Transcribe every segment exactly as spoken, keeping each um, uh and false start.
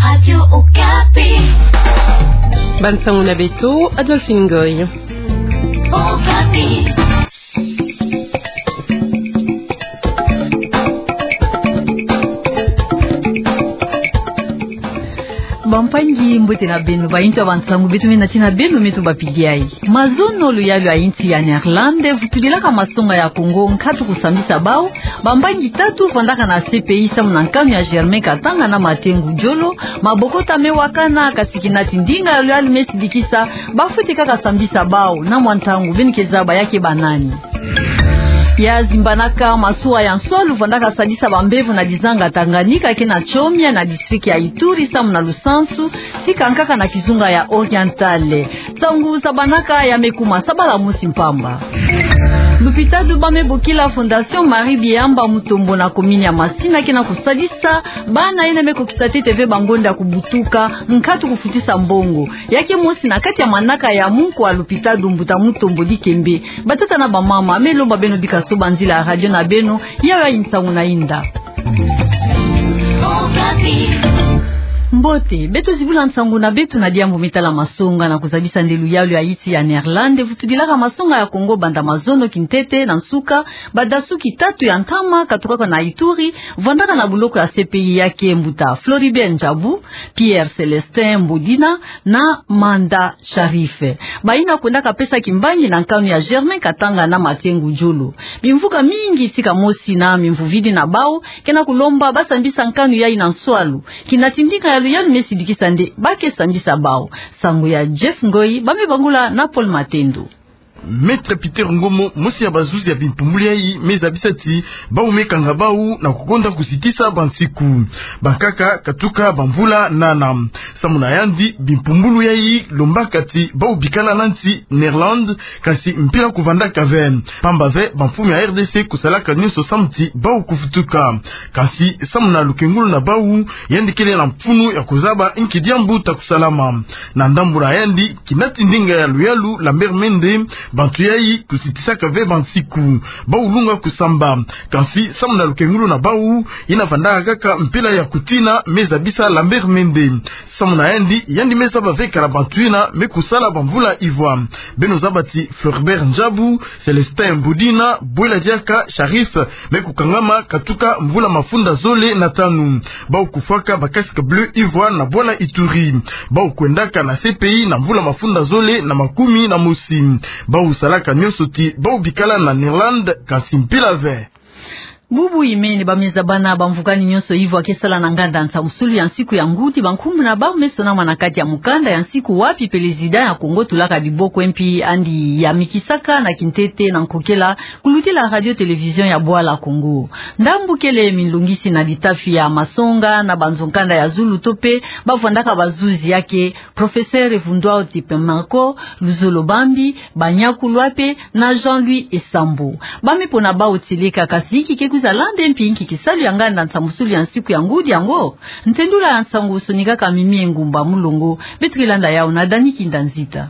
Radio Okapi. Bansango na beto, Adolphine Ngoy. Okapi. Bampangi, mbote na beno, bainzo ya bansango beto me nati na beno, me tubapidi yayi. Mazono luyalu ya insi ya Néerlande vutudilaka masonga ya Kongo nkatu kusambisa bawu. Bampangi tatu vandaka na C P I samu na nkanu ya Germain Katanga na Martin Ngudjolo. Mabokota me wakana, kasi kinati ndinga ya luyalu me sidikisa, bafwete kaka sambisa bawu. Na mwa ntangu beno ke zaba ya ke banani. Ya zimbanaka, masuwa ya nswalu vandaka sadisa bambevo na dizanga Tanganyika, ke na Tchomia na district ya Ituri samu na Lusansu, tika nkaka na kizunga ya Oriental. Nsangu zabanaka ya me kuma sabala mosi mpamba. Lupitalu ba me bokila Fondation Marie Biyamba Mutombo na commune ya Masina ke na kusadisa bana yina me kukisa ntete ve bangonda ya kubutuka, nkatu kufutisa mbongo. Ya ke mosi na kati ya manaka ya munkwa lupitalu mbuta Mutombo Dikembe. Batata na bamama, me lomba beno bika soba nzila ya radio na beno, yayi nsangu na inda. Mbote, beto zibula nsangu na beto na diambu me tala masonga na kuzabisa nde luyalu ya insi ya Néerlande vutudilaka masonga ya Kongo banda mazono kintete. Na nsuka, badasuki tatu ya ntama katukaka na Ituri vandaka na buloko ya C P I, ya ke mbuta Floribert Ndjabu, Pierre Célestin Mbodina na Manda Sharif. Bayina kwendaka pesa kimbangi na nkanu ya Germain Katanga na Martin Ngudjolo. Bimvuka mingi tika mosi na mimvuvidi na bawu ke na kulomba basambisa nkanu yayi na nswalu. Kinati ndinga ya luyalu me sidikisa nde ba ke sambisa bawu. Nsangu ya Jeff Ngoy, ba me bangula na Paul Matendo. Maître Peter Ngomo, mosi ya bazuzi ya bimpumbulu yayi, me zabisa ti bawu me kanga bawu na kukonda kusitisa bansiku. Bankaka katuka bamvula nana. Samu na yandi, bimpumbulu yayi lombaka ti bawu bikala na nsi Néerlande, kasi mpila kuvandaka ve. Pamba ve, bamfumu ya R D C kusalaka nionso samu ti bawu kuvutuka. Kasi samu na lukengulu na bawu, yandi kele na mfunu ya kuzaba nki diambu ta kusalama. Na ndambu na yandi, kinati ndinga ya luyalu Lambert Mende, bantu yayi kusitisaka ve bansiku. Bawu lunga kusamba. Kasi samu na lukengulu na bawu, yina vandaka kaka mpila ya kutina, me zabisa Lambert Mende. Samu na yandi, yandi me zaba ve kala bantu yina me kusala bamvula ivwa. Beno zaba ti Floribert Ndjabu, Célestin Mbodina, Bwela Diaka, Sharif, me kukangama katuka mvula mafunda zole na tanu. Bawu kufwaka ba casque bleu ivwa na bwala Ituri. Bawu kwendaka na C P I na mvula mafunda zole na makumi na mosi. Bawu salaka nionso ti bawu bikala na Néerlande, kasi mpila ve. Bubu imene, ba me zaba na bamvukani nionso ivwa ke sala na nganda nsamusulu ya nsiku ya ngudi, bankumbu na bawu me sonama na kati ya mukanda ya nsiku wapi pelezida ya Kongo tulaka diboko mpi andi yamikisaka na kintete na nkokela kulutila radio télévision ya Bwala Kongo. Ndambu kele minlongisi na litafi ya masonga na banzo-nkanda ya zulu to pe bavwandaka bazuzi, ya ke Professeur Vundwao Tipe Marco, Luzolo Bambi, Banyaku Lwape na Jean-Louis Esambo. Ba me pona bawu tieleka, kasi inki ke kwiza landa mpi inki kisalu ya nganda nsamusulu ya nsiku ya ngudi yango? Ntendula ya nsangu sonikaka Mimi Engumba Mulongo, beto ke landa yawu na Dani Kinda Nzita.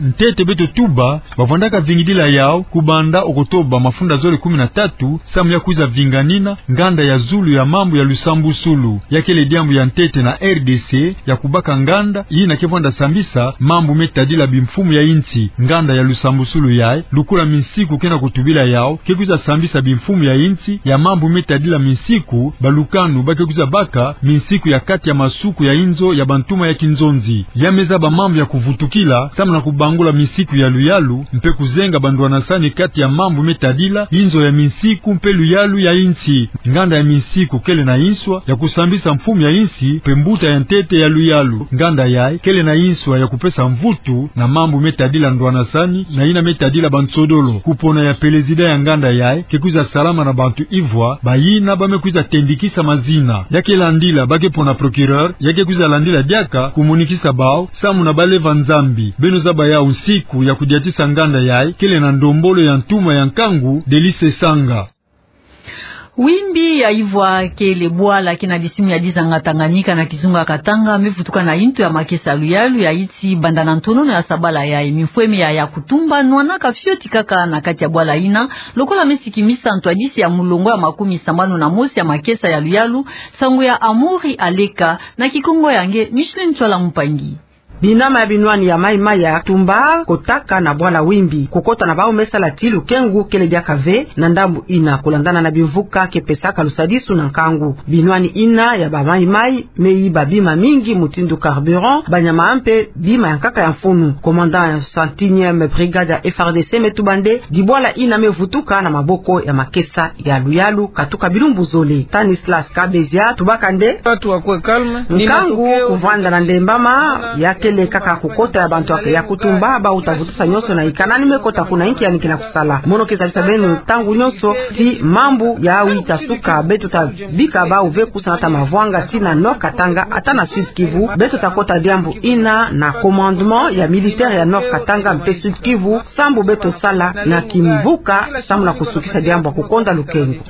Ntete beto tuba, bavwandaka vingidila yawu kubanda Octobre mafunda zole kumi na tatu, samu ya kwiza vinganina nganda ya zulu ya mambu ya lusambusulu. Ya kele diambu ya ntete na R D C ya kubaka nganda yina ke vwanda sambisa mambu me tadila bimfumu ya insi. Nganda ya lusambusulu yayi, lukula minsiku ke na kutubila yawu, ke kwiza sambisa bimfumu ya insi ya mambu me tadila minsiku, balukanu ba ke kwiza baka minsiku ya kati ya masuku ya inzo ya bantuma ya kinzonzi. Ya me zaba mambu ya kuvutukila, samu na kubangula minsiku ya luyalu, mpe kuzenga bandwanasani kati ya mambu me tadila inzo ya minsiku mpe luyalu ya insi. Nganda ya minsiku kele na inswa ya kusambisa mfumu ya insi mpe mbuta ya ntete ya luyalu. Nganda yayi kele na inswa ya kupesa mvutu na mambu me tadila ndwanasani na yina me tadila bansodolo. Kupona ya pelezida ya nganda yayi ke kwiza salama na bantu ivwa, bayina ba me kwiza tendikisa mazina. Ya ke landila ba ke pona procureur, ya ke kwiza landila diaka kumonikisa bawu, samu na baleva Nzambi. Beno zaba yawu nsiku ya kudiatisa nganda yayi kele na ndombolo ya ntuma ya nkangu, Delice Sanga. Wimbi ya ivwa kele bwala ke na disimu ya dizanga Tanganyika na kizunga Katanga me vutuka na intu ya makesa ya Luyalu ya iti banda na ntonono ya sabala yayi. Mifweme ya Yakutumba nwanaka fioti kaka na kati ya bwala yina, lokola me sikimisa ntwadisi ya mulongo ya makumi sambanu na mosi ya makesa ya Luyalu, nsangu ya Amaury Aleka, na kikongo ya nge Micheline Ntsoala Mpangi. Binama ya binwani ya mayi-mayi ya Yakutumba kotaka na bwala Wimbi. Kukota na bawu me sala ti lukengu kele diaka ve na ndambu yina, kulandana na bimvuka ke pesaka lusadisu na nkangu. Binwani yina ya bamayi-mayi me yiba bima mingi mutindu carburant, banyama mpe bima ya nkaka ya mfunu. Commandant ya cent et unième brigade ya F R D C me tuba nde dibwala yina me vutuka na maboko ya makesa ya Luyalu katuka bilumbu zole. Stanislas Kabezia tubaka nde: Watu wakuwe calme. Nkangu kuvanda na ndembama, ya kele kaka kukota ya bantu ya Yakutumba, bawu ta vutusa nyonso na yika nani me kota kuna inki yani ke na kusala. Mono ke zabisa beno ntangu nyonso ti mambu yayi ta suka, beto ta bika bawu ve kusa na ta mavwanga ti na Nord-Katanga ata na Sud-Kivu. Beto ta kota diambu yina na commandement ya militaire ya Nord-Katanga mpe Sud-Kivu, sambu beto sala na kimvuka, sambu na kusukisa diambu ya kukonda lukengu.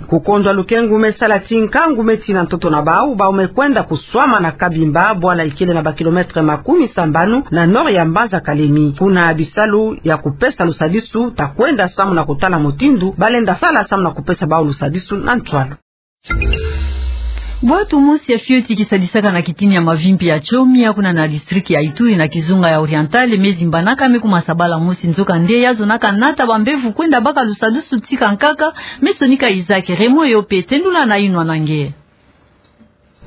Kukondwa lukengu me sala ti nkangu me tina ntoto na bawu, bawu me kwenda kuswama na Kabimba, bwala ikele na ba kilomètre makumi sambanu na nord ya mbanza Kalemi. Kuna bisalu ya kupesa lusadisu ta kwenda sambu na kutala mutindu ba lenda sala sambu na kupesa bawu lusadisu na ntwalu. Bwatu mosi ya fioti ke sadisaka na kitini ya mavimpi ya Chomia kuna na district ya Ituri na kizunga ya Oriental me zimbanaka me kuma sabala mosi, nzokande ya zonaka nata bambevo kwenda baka lusadisu tika nkaka. Me sonika Isaac Raymond yo pe tendula na inwa na nge.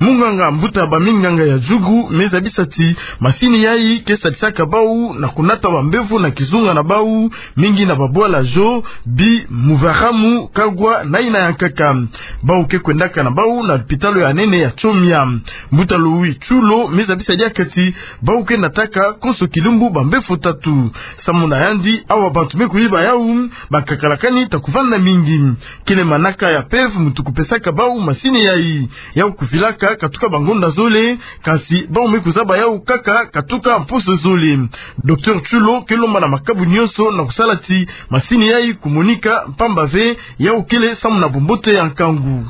Munganga mbuta baminganga ya Djugu me zabisa ti masini yayi ke sadisaka bawu na kunata bambevo na kizunga na bawu, mingi na babwala Djo, Bi, Muvaramu, Kagwa na yina ya nkaka. Bawu ke kwendaka na bawu na lupitalu ya nene ya Chomia. Mbuta Louis Tchulo me zabisa diaka ti bawu ke nataka konso kilumbu bambevo tatu. Sambu na yandi, awa bantu me kuyiba yawu, bankakalakani ta kuvanda mingi. Kele manaka ya P E V muntu kupesaka bawu masini yayi. Yawu kuvilaka katuka bangonda zole, kansi bawu me kuzaba yawu kaka katuka mposo zole. Docteur Tchulo ke lomba na makabu nyonso na kusala ti masini yayi kumonika mpamba ve, yawu kele sambu na bombote ya nkangu.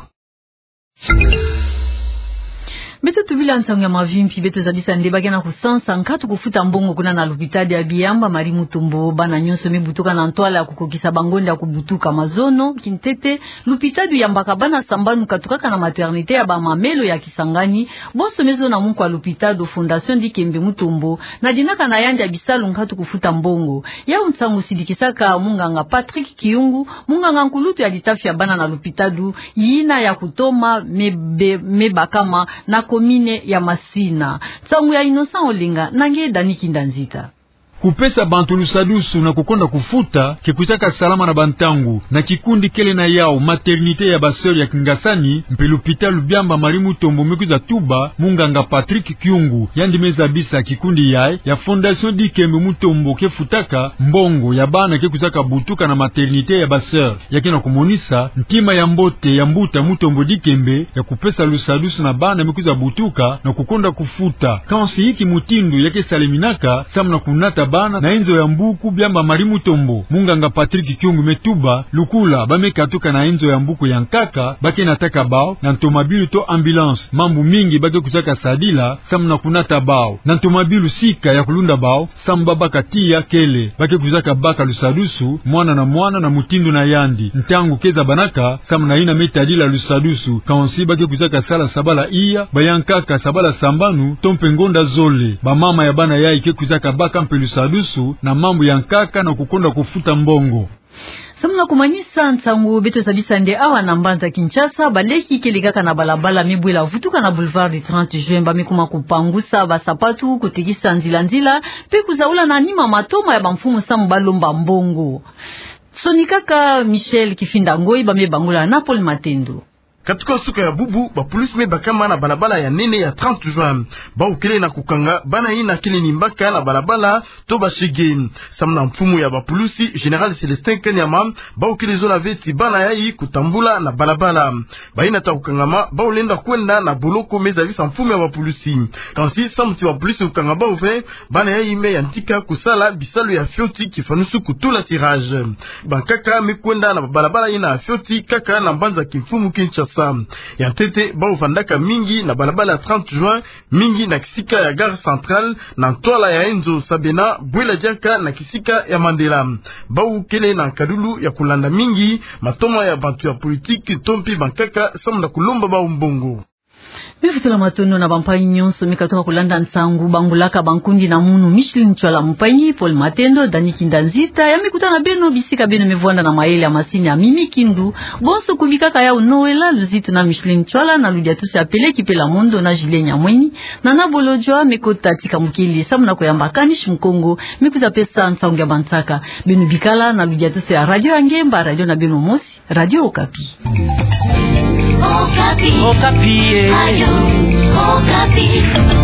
Beto tubila nsangu ya mavimpi, beto zabisa nde ba ke na kusansa nkatu kufuta mbongo kuna na lupitalu ya Biamba Marie Mutombo. Bana nyonso me butuka na ntwala ya kukokisa bangonda ya kubutuka. Mazono, kintete, lupitalu yambaka bana sambanu katukaka na maternité ya bamamelo ya Kisangani, bonso me zona muku ya lupitalu Fondation Dikembe Mutombo, na dinaka na yandi ya bisalu nkatu kufuta mbongo. Yawu nsangu sidikisaka munganga Patrick Kiyungu, munganga nkulutu ya litafi ya bana na lupitalu yina ya Kutoma me be-, me bakama na commune ya Masina. Nsangu ya Innocent Olenga na nge Dani Kinda Nzita. Kupesa bantu lusadusu na kukonda kufuta ke kwizaka salama na bantangu. Na kikundi kele na yawu, maternité ya ba sœur ya Kingasani, mpe lupitalu Biamba Marie Mutombo, me kwiza tuba munganga Patrick Kiyungu. Yandi me zabisa kikundi yayi ya Fondation Dikembe Mutombo ke futaka mbongo ya bana ke kwizaka butuka na maternité ya ba sœur. Ya ke na kumonisa ntima ya mbote ya mbuta Mutombo Dikembe ya kupesa lusadusu na bana me kwiza butuka na kukonda kufuta. Kansi inki mutindu ya ke saleminaka samu na kunata bana na inzo ya mbuku Biamba Marie Mutombo? Munganga Patrick Kiyungu me tuba, lukula ba me katuka na inzo ya mbuku ya nkaka, ba ke nataka bawu na ntomabilu to ambulance. Mambu mingi ba ke kwizaka sadila samu na kunata bawu. Na ntomabilu sika ya kulunda bawu, samu ba baka tiya kele. Ba ke kwizaka baka lusadusu, mwana na mwana na mutindu na yandi. Ntangu ke zabanaka samu na yina me tadila lusadusu. Kansi ba ke kwizaka sala sabala iya, ba ya nkaka sabala sambanu, to mpe ngonda zole. Bamama ya bana yayi ke kwizaka baka mpe lusadusu na mambu ya nkaka na kukonda kufuta mbongo. Samu na kumanisa nsangu, beto zabisa nde awa na mbanza Kinshasa, baleki kele kaka na balabala me bwela vutuka na Boulevard du trente Juin, ba me kuma kupangusa basapatu, kutekisa nzila-nzila, mpe kuzaula na nima matoma ya bamfumu samu ba lomba mbongo. Sonikaka Michel Kifinda Ngoi, ba me bangula na Paul Matendo. Katuka suka ya bubu, bapulusi me bakama na balabala ya nene ya trente juin. Bau kele na kukanga bana ina kele ni mbaka na balabala to bashege. Samu na mfumu ya bapulusi, Général Célestin Kanyama, bau kele zola ve ti bana yayi kutambula na balabala. Baina ta kukangama bau lenda kwenda na boloko, me zabisa mfumu ya bapulusi. Kansi samu ti bapulusi kukanga bau ve, bana yayi me yantika kusala bisalu ya fioti kifanusu kutula cirage. Bankaka me kwenda na balabala ina fioti kaka na mbanza kimfumu Kinshasa. Ya ntete, bau vandaka mingi na balabala trente juin, mingi na kisika ya Gare Centrale, na ntwala ya Enzo Sabena, bwela diaka na kisika ya Mandela. Bau kele na nkadulu ya kulanda mingi matoma ya bantu ya politiki to mpi bankaka samu na kulomba bau mbongo. Me vutula matondo na bampangi nyonso me katuka kulanda nsangu. Bangulaka bankundi na munu: Micheline Ntsoala, mpangi Paul Matendo, Dani Kinda Nzita, ya me kutana beno bisika beno me vwanda na mayele ya masini ya Mimi Kindu. Bonso kubikaka yau Noëlla Luzitu na Micheline Ntsoala na ludiatuso ya Pele Kipela Mondo na Julien Nyamweni. Nana Bolodjwa me kota tika mukele samu na kuyamba Kanish Mukongo me kwiza pesa nsangu ya bansaka. Beno bikala na ludiatuso ya Radio ya Ngemba, radio na beno mosi, Radio Okapi. Okapi. Okapi, eh. Radio Okapi.